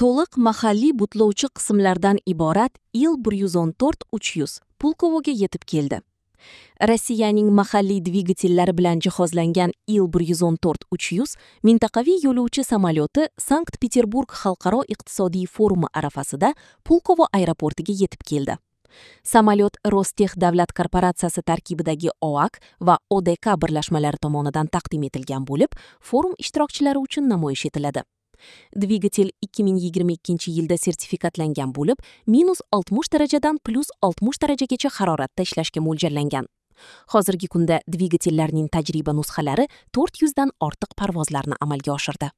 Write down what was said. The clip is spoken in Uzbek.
To'liq mahalliy butlovchi qismlardan iborat Il-114-300 Pulkovoga yetib keldi. Rossiyaning mahalliy dvigatellari bilan jihozlangan Il-114-300 mintaqaviy yo'lovchi samolyoti Sankt-Peterburg xalqaro iqtisodiy forumi arafasida Pulkovo aeroportiga yetib keldi. Samolyot Rostex davlat korporatsiyasi tarkibidagi OAK va ODK birlashmalari tomonidan taqdim etilgan bo'lib, forum ishtirokchilari uchun namoyish etiladi. Dvigatel 2022-yilda sertifikatlangan bo'lib, -60 darajadan +60 darajagacha haroratda ishlashga mo'ljallangan. Hozirgi kunda dvigatellarning tajriba nusxalari 400 dan ortiq parvozlarni amalga oshirdi.